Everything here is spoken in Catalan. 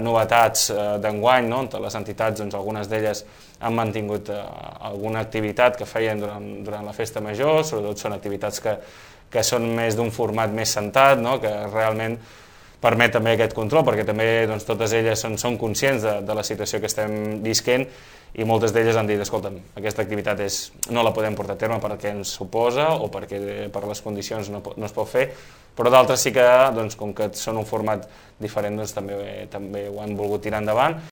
novetats d'enguany, no? Les entitats, doncs, algunes d'elles han mantingut alguna activitat que feien durant la festa major, sobretot són activitats que són més d'un format més sentat, no? Que realment permet també aquest control, perquè també doncs, totes elles són conscients de la situació que estem visquent i moltes d'elles han dit, escolta'm, aquesta activitat no la podem portar a terme perquè ens suposa o perquè per les condicions no es pot fer, però d'altres sí que, doncs, com que són un format diferent, doncs, també ho han volgut tirar endavant.